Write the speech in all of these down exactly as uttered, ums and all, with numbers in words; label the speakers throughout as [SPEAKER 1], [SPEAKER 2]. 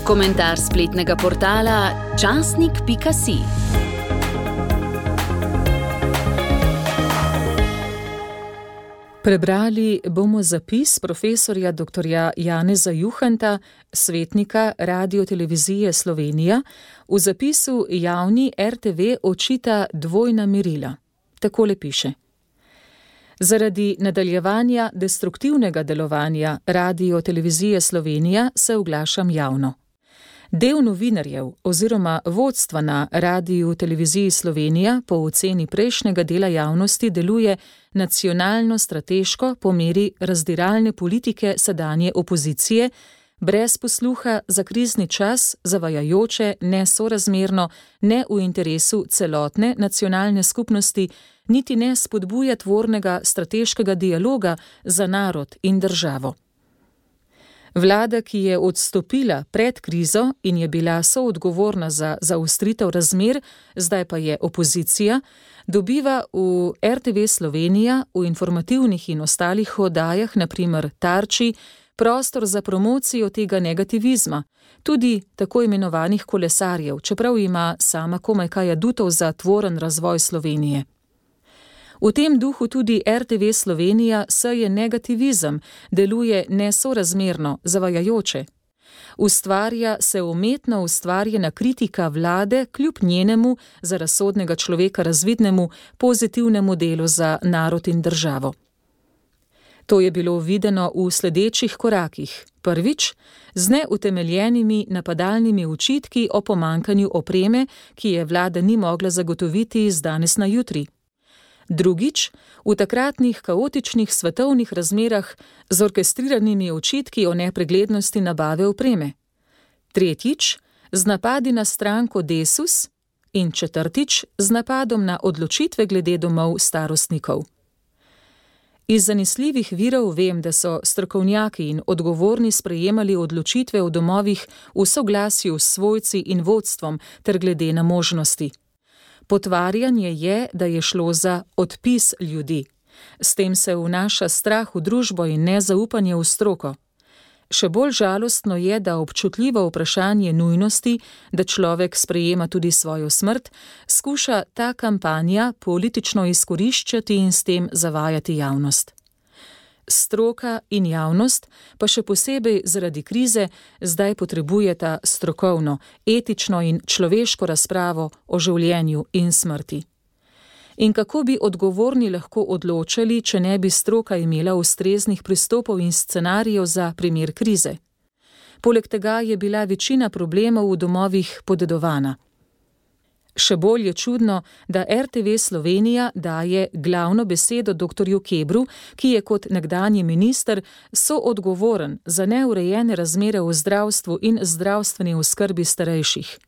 [SPEAKER 1] Komentar spletnega portala časnik pika si. Prebrali bomo zapis profesorja doktorja Janeza Juhanta, svetnika Radiotelevizije Slovenija, v zapisu javni er te ve očita dvojna merila. Takole piše. Zaradi nadaljevanja destruktivnega delovanja Radiotelevizije Slovenija se oglašam javno. Del novinarjev oziroma vodstva na Radioteleviziji Slovenija po oceni prejšnjega dela javnosti deluje nacionalno-strateško po meri razdiralne politike sedanje opozicije, brez posluha za krizni čas, zavajajoče, nesorazmerno, ne v interesu celotne nacionalne skupnosti, niti ne spodbuja tvornega strateškega dialoga za narod in državo. Vlada, ki je odstopila pred krizo in je bila soodgovorna za zaostritev razmer, zdaj pa je opozicija, dobiva v er te ve Slovenija v informativnih in ostalih oddajah, na primer Tarči, prostor za promocijo tega negativizma, tudi tako imenovanih kolesarjev, čeprav ima sama komaj kaj adutov za tvoren razvoj Slovenije. V tem duhu tudi er te ve Slovenija seje negativizem, deluje nesorazmerno, zavajajoče. Ustvarja se umetno ustvarjena kritika vlade kljub njenemu, za razsodnega človeka razvidnemu, pozitivnemu delu za narod in državo. To je bilo videno v sledečih korakih. Prvič, z neutemeljenimi napadalnimi očitki o pomanjkanju opreme, ki je vlada ni mogla zagotoviti z danes na jutri. Drugič, v takratnih kaotičnih svetovnih razmerah z orkestriranimi očitki o nepreglednosti nabave opreme. Tretjič, z napadi na stranko Desus in četrtič, z napadom na odločitve glede domov starostnikov. Iz zanesljivih virov vem, da so strokovnjaki in odgovorni sprejemali odločitve v domovih v soglasju s svojci in vodstvom ter glede na možnosti. Potvarjanje je, da je šlo za odpis ljudi. S tem se vnaša strah v družbo in nezaupanje v stroko. Še bolj žalostno je, da občutljivo vprašanje nujnosti, da človek sprejema tudi svojo smrt, skuša ta kampanja politično izkoriščati in s tem zavajati javnost. Stroka in javnost, pa še posebej zaradi krize, zdaj potrebujeta strokovno, etično in človeško razpravo o življenju in smrti. In kako bi odgovorni lahko odločali, če ne bi stroka imela ustreznih pristopov in scenarijev za primer krize? Poleg tega je bila večina problemov v domovih podedovana. Še bolj je čudno, da er te ve Slovenija daje glavno besedo doktorju Kebru, ki je kot nekdanji minister soodgovoren za neurejene razmere v zdravstvu in zdravstveni oskrbi starejših.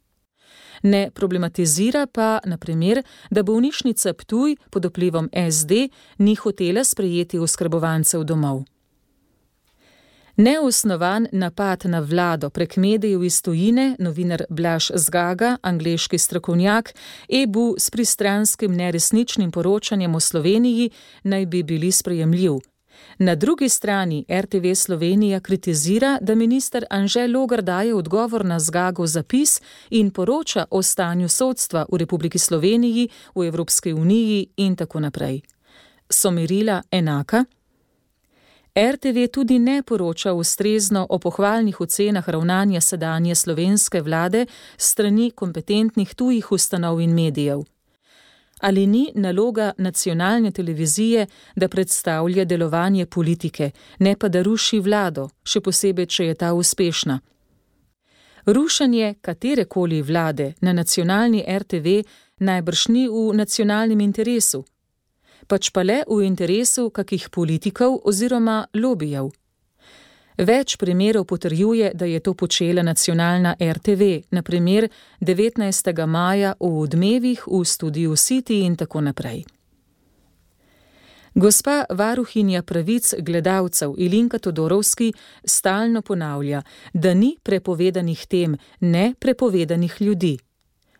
[SPEAKER 1] Ne problematizira pa, na primer, da bolnišnica Ptuj pod vplivom es de ni hotela sprejeti oskrbovancev domov. Neosnovan napad na vlado prek medijev iz tujine, novinar Blaž Zgaga, angleški strokovnjak, E B U s pristranskim neresničnim poročanjem o Sloveniji, naj bi bili sprejemljiv. Na drugi strani er te ve Slovenija kritizira, da minister Anže Logar daje odgovor na Zgagov zapis in poroča o stanju sodstva v Republiki Sloveniji, v Evropski uniji in tako naprej. So merila enaka? er te ve tudi ne poroča ustrezno o pohvalnih ocenah ravnanja sedanje slovenske vlade strani kompetentnih tujih ustanov in medijev. Ali ni naloga nacionalne televizije, da predstavlja delovanje politike, ne pa da ruši vlado, še posebej, če je ta uspešna? Rušenje katerekoli vlade na nacionalni er te ve najbrž ni v nacionalnem interesu, pač pa le v interesu kakih politikov oziroma lobijev. Več primerov potrjuje, da je to počela nacionalna er te ve, na primer devetnajstega maja v Odmevih v studiu City in tako naprej. Gospa varuhinja pravic gledalcev Ilinka Todorovski stalno ponavlja, da ni prepovedanih tem, ne prepovedanih ljudi.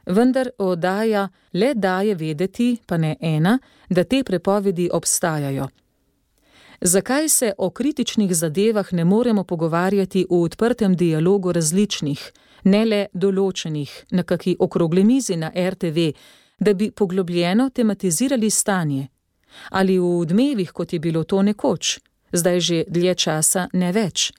[SPEAKER 1] Vendar oddaja le daje vedeti, pa ne ena, da te prepovedi obstajajo. Zakaj se o kritičnih zadevah ne moremo pogovarjati v odprtem dialogu različnih, ne le določenih, na kaki okrogli mizi na er te ve, da bi poglobljeno tematizirali stanje? Ali v odmevih, kot je bilo to nekoč, zdaj že dlje časa ne več?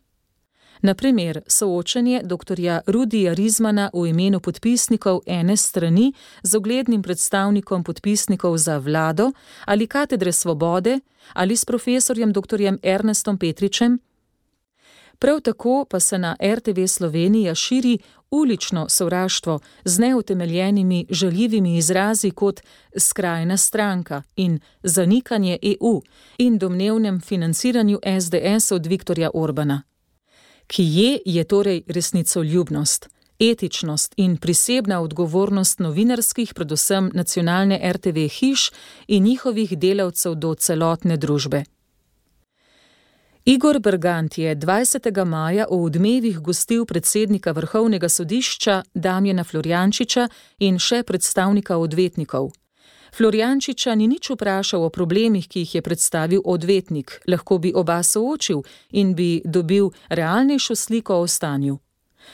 [SPEAKER 1] Na primer, soočenje doktorja Rudija Rizmana v imenu podpisnikov ene strani z uglednim predstavnikom podpisnikov za vlado ali katedre Svobode ali s profesorjem doktorjem Ernestom Petričem. Prav tako pa se na er te ve Slovenija širi ulično sovraštvo z neutemeljenimi žaljivimi izrazi kot skrajna stranka in zanikanje e u in domnevnem financiranju es de es od Viktorja Orbana. Kje je torej resnicoljubnost, etičnost in prisebna odgovornost novinarskih, predvsem nacionalne er te ve hiš in njihovih delavcev do celotne družbe? Igor Bergant je dvajsetega maja v Odmevih gostil predsednika Vrhovnega sodišča Damjana Florjančiča in še predstavnika odvetnikov. Florjančiča ni nič vprašal o problemih, ki jih je predstavil odvetnik, lahko bi oba soočil in bi dobil realnejšo sliko o stanju.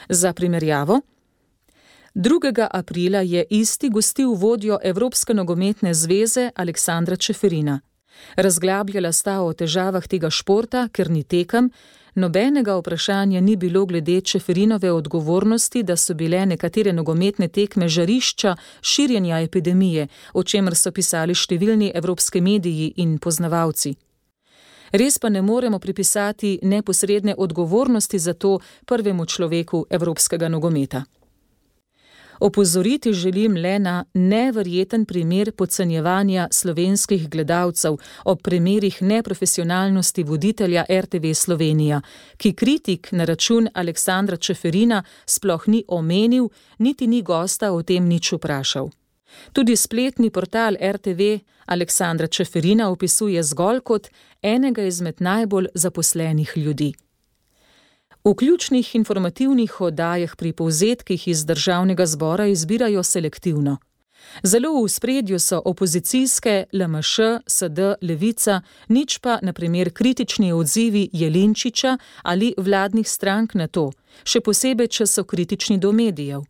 [SPEAKER 1] Za primerjavo, drugega aprila je isti gostil vodjo Evropske nogometne zveze Aleksandra Čeferina. Razglabljala sta o težavah tega športa, ker ni tekem, nobenega vprašanja ni bilo glede Čeferinove odgovornosti, da so bile nekatere nogometne tekme žarišča širjenja epidemije, o čemer so pisali številni evropski mediji in poznavalci. Res pa ne moremo pripisati neposredne odgovornosti za to prvemu človeku evropskega nogometa. Opozoriti želim le na neverjeten primer podcenjevanja slovenskih gledalcev ob primerih neprofesionalnosti voditelja er te ve Slovenija, ki kritik na račun Aleksandra Čeferina sploh ni omenil, niti ni gosta o tem nič vprašal. Tudi spletni portal er te ve Aleksandra Čeferina opisuje zgolj kot enega izmed najbolj zaposlenih ljudi. V ključnih informativnih oddajah pri povzetkih iz Državnega zbora izbirajo selektivno. Zelo v ospredju so opozicijske, el em š, es de, Levica, nič pa, na primer, kritični odzivi Jelinčiča ali vladnih strank na to, še posebej, če so kritični do medijev.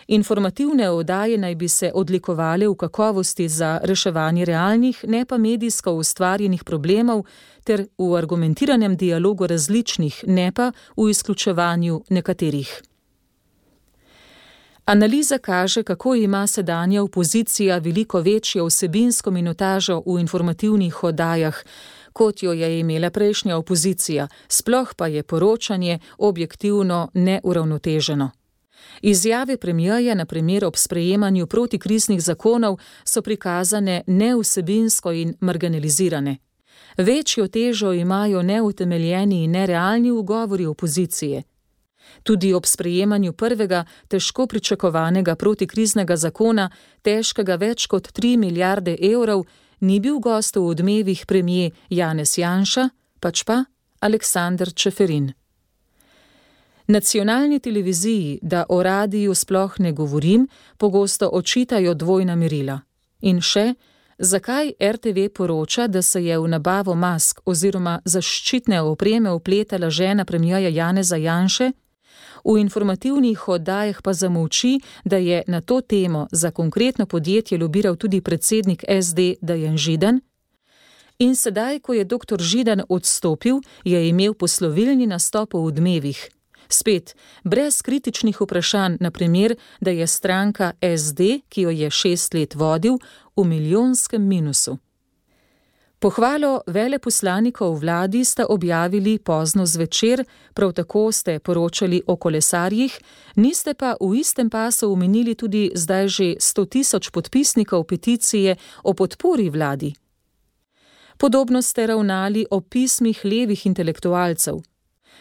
[SPEAKER 1] Informativne oddaje naj bi se odlikovale v kakovosti za reševanje realnih, ne pa medijsko ustvarjenih problemov ter v argumentiranem dialogu različnih, ne pa v izključevanju nekaterih. Analiza kaže, kako ima sedanja opozicija veliko večjo vsebinsko minutažo v informativnih oddajah, kot jo je imela prejšnja opozicija, sploh pa je poročanje objektivno neuravnoteženo. Izjave premierja, na primer ob sprejemanju protikriznih zakonov, so prikazane nevsebinsko in marginalizirane. Večjo težo imajo neutemeljeni in nerealni ugovori opozicije. Tudi ob sprejemanju prvega, težko pričakovanega protikriznega zakona, težkega več kot tri milijarde evrov, ni bil gost v Odmevih premier Janez Janša, pač pa Aleksander Čeferin. Nacionalni televiziji, da o radiju sploh ne govorim, pogosto očitajo dvojna merila. In še, zakaj er te ve poroča, da se je v nabavo mask oziroma zaščitne opreme vpletala žena premierja Janeza Janše, v informativnih oddajah pa zamolči, da je na to temo za konkretno podjetje lobiral tudi predsednik es de Dejan Židan? In sedaj, ko je doktor Židan odstopil, je imel poslovilni nastop v Odmevih. Spet, brez kritičnih vprašanj, na primer, da je stranka es de, ki jo je šest let vodil, v milijonskem minusu. Pohvalo veleposlanikov vladi sta objavili pozno zvečer, prav tako ste poročali o kolesarjih, niste pa v istem pasu omenili tudi zdaj že sto tisoč podpisnikov peticije o podpori vladi. Podobno ste ravnali o pismih levih intelektualcev.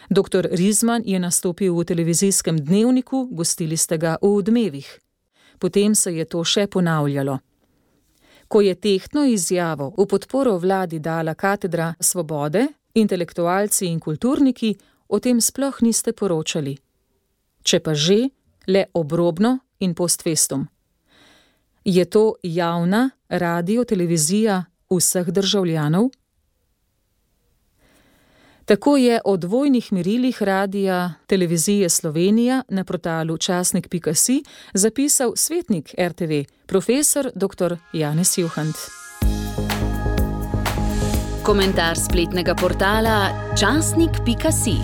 [SPEAKER 1] Doktor Rizman je nastopil v televizijskem dnevniku, gostili ste ga v Odmevih. Potem se je to še ponavljalo. Ko je tehtno izjavo v podporo vladi dala katedra Svobode, intelektualci in kulturniki, o tem sploh niste poročali. Če pa že, le obrobno in post festum. Je to javna radio televizija vseh državljanov? Tako je o dvojnih merilih Radia Televizije Slovenija na portalu časnik pika si zapisal svetnik er te ve, profesor doktor Janez Juhant.
[SPEAKER 2] Komentar spletnega portala časnik pika si.